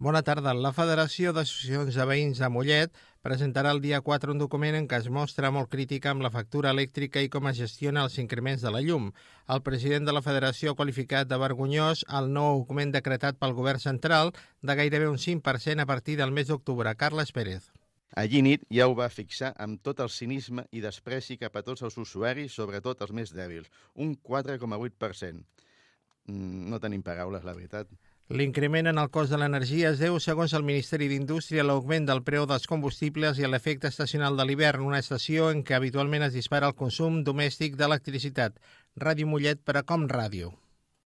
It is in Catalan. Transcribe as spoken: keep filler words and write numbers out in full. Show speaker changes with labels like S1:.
S1: Bona tarda. La Federació d'Associacions de Veïns de Mollet presentarà el dia quatre un document en què es mostra molt crítica amb la factura elèctrica i com es gestiona els increments de la llum. El president de la Federació ha qualificat de vergonyós el nou augment decretat pel govern central de gairebé un cinc per cent a partir del mes d'octubre. Carles Pérez.
S2: Allí nit ja ho va fixar amb tot el cinisme i despreci cap a tots els usuaris, sobretot els més dèbils, un quatre coma vuit per cent. No tenim paraules, la veritat.
S1: L'increment en el cost de l'energia es deu, segons el Ministeri d'Indústria, a l'augment del preu dels combustibles i a l'efecte estacional de l'hivern, una estació en què habitualment es dispara el consum domèstic d'electricitat. Ràdio Mollet per a Com Ràdio.